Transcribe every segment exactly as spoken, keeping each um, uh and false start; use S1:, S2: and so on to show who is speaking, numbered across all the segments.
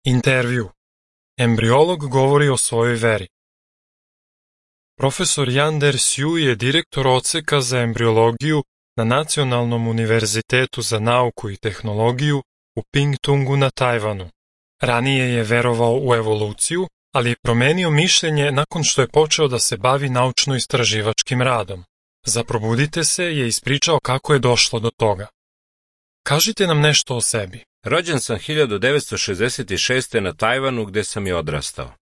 S1: Intervju. Embriolog govori o svojoj veri. Profesor Jan Der-Sju je direktor odseka za embriologiju na Nacionalnom univerzitetu za nauku i tehnologiju u Pingtungu na Tajvanu. Ranije je verovao u evoluciju, ali je promenio mišljenje nakon što je počeo da se bavi naučno-istraživačkim radom. Za Probudite se je ispričao kako je došlo do toga. Kažite nam nešto o sebi.
S2: Rođen sam hiljadu devetsto šezdeset šeste. na Tajvanu gde sam i odrastao.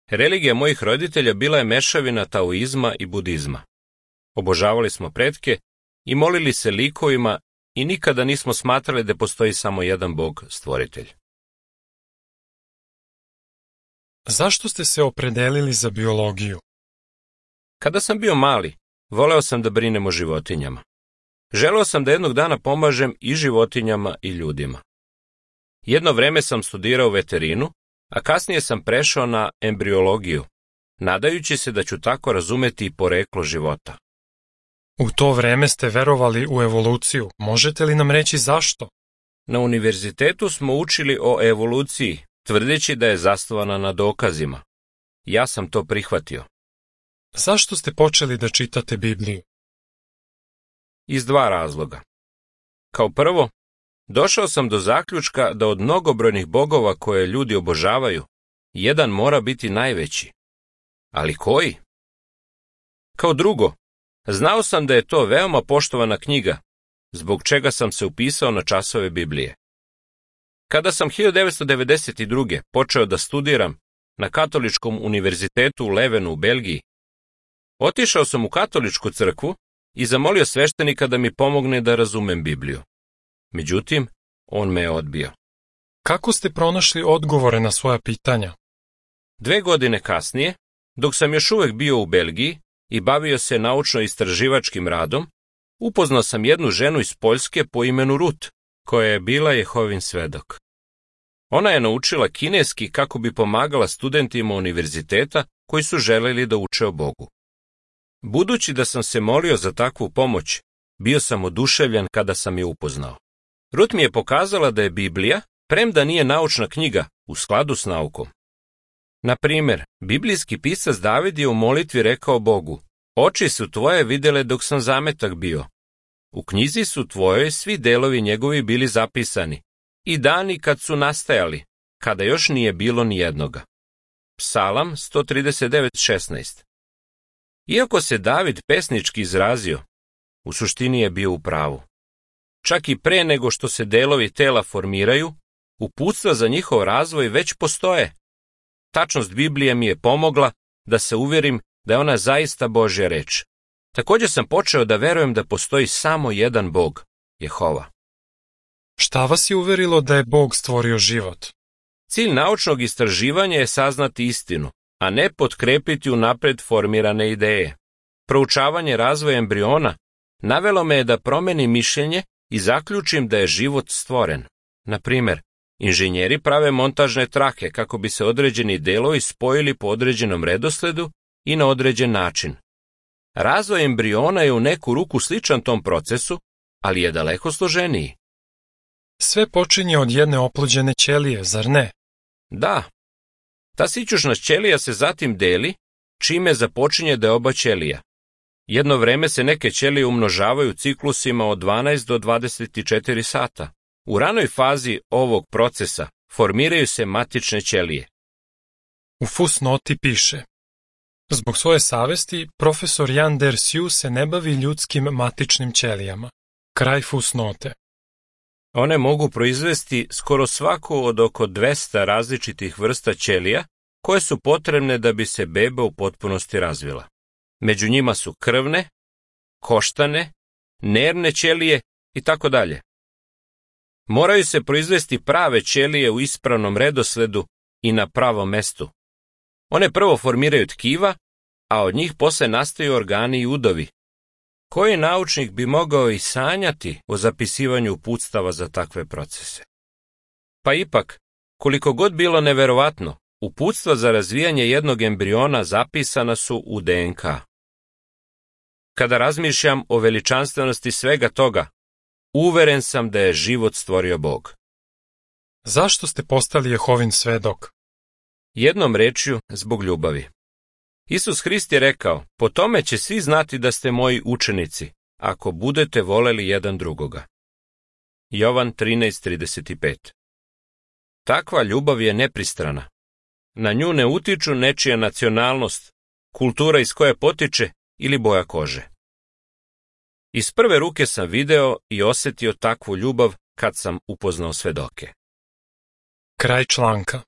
S2: Religija mojih roditelja bila je mešavina taoizma i budizma. Obožavali smo pretke i molili se likovima i nikada nismo smatrali da postoji samo jedan Bog, stvoritelj.
S1: Zašto ste se opredelili za biologiju?
S2: Kada sam bio mali, voleo sam da brinem o životinjama. Želeo sam da jednog dana pomažem i životinjama i ljudima. Jedno vreme sam studirao veterinu, a kasnije sam prešao na embriologiju, nadajući se da ću tako razumeti i poreklo života.
S1: U to vreme ste verovali u evoluciju. Možete li nam reći zašto?
S2: Na univerzitetu smo učili o evoluciji, tvrdeći da je zasnovana na dokazima. Ja sam to prihvatio.
S1: Zašto ste počeli da čitate Bibliju?
S2: Iz dva razloga. Kao prvo, došao sam do zaključka da od mnogobrojnih bogova koje ljudi obožavaju, jedan mora biti najveći. Ali koji? Kao drugo, znao sam da je to veoma poštovana knjiga, zbog čega sam se upisao na časove Biblije. Kada sam hiljadu devetsto devedeset druge. počeo da studiram na Katoličkom univerzitetu u Levenu u Belgiji, otišao sam u katoličku crkvu i zamolio sveštenika da mi pomogne da razumem Bibliju. Međutim, on me je odbio.
S1: Kako ste pronašli odgovore na svoja pitanja?
S2: Dve godine kasnije, dok sam još uvek bio u Belgiji i bavio se naučno-istraživačkim radom, upoznao sam jednu ženu iz Poljske po imenu Rut, koja je bila Jehovin svedok. Ona je naučila kineski kako bi pomagala studentima univerziteta koji su želeli da uče o Bogu. Budući da sam se molio za takvu pomoć, bio sam oduševljen kada sam je upoznao. Rut mi je pokazala da je Biblija, premda nije naučna knjiga, u skladu s naukom. Na primer, biblijski pisac David je u molitvi rekao Bogu: "Oči su tvoje videle dok sam zametak bio. U knjizi su tvojoj svi delovi njegovi bili zapisani, i dani kad su nastajali, kada još nije bilo ni jednoga." Psalam sto trideset devet šesnaest. Iako se David pesnički izrazio, u suštini je bio u pravu. Čak i pre nego što se delovi tela formiraju, uputstva za njihov razvoj već postoje. Tačnost Biblije mi je pomogla da se uverim da je ona zaista Božja reč. Također sam počeo da verujem da postoji samo jedan Bog, Jehova.
S1: Šta vas je uverilo da je Bog stvorio život?
S2: Cilj naučnog istraživanja je saznati istinu, a ne potkrepiti unapred formirane ideje. Proučavanje razvoja embriona navelo me je da promenim mišljenje i zaključim da je život stvoren. Na primer, inženjeri prave montažne trake kako bi se određeni delovi spojili po određenom redosledu i na određen način. Razvoj embriona je u neku ruku sličan tom procesu, ali je daleko složeniji.
S1: Sve počinje od jedne oplođene ćelije, zar ne?
S2: Da. Ta sićušna ćelija se zatim deli, čime započinje deoba ćelija. Jedno vreme se neke ćelije umnožavaju ciklusima od dvanaest do dvadeset četiri sata. U ranoj fazi ovog procesa formiraju se matične ćelije.
S1: U fusnoti piše: zbog svoje savesti, profesor Jan Der-Sju se ne bavi ljudskim matičnim ćelijama. Kraj fusnote.
S2: One mogu proizvesti skoro svaku od oko dvesta različitih vrsta ćelija koje su potrebne da bi se beba u potpunosti razvila. Među njima su krvne, koštane, nervne ćelije i tako dalje. Moraju se proizvesti prave ćelije u ispravnom redosledu i na pravom mestu. One prvo formiraju tkiva, a od njih posle nastaju organi i udovi. Koji naučnik bi mogao i sanjati o zapisivanju uputstava za takve procese? Pa ipak, koliko god bilo neverovatno, uputstva za razvijanje jednog embriona zapisana su u de en ka. Kada razmišljam o veličanstvenosti svega toga, uveren sam da je život stvorio Bog.
S1: Zašto ste postali Jehovin svedok?
S2: Jednom rečju, zbog ljubavi. Isus Hrist je rekao, po tome će svi znati da ste moji učenici, ako budete voleli jedan drugoga. Jovan trinaest trideset pet. Takva ljubav je nepristrana. Na nju ne utiču nečija nacionalnost, kultura iz koje potiče ili boja kože. Iz prve ruke sam video i osjetio takvu ljubav kad sam upoznao svedoke.
S1: Kraj članka.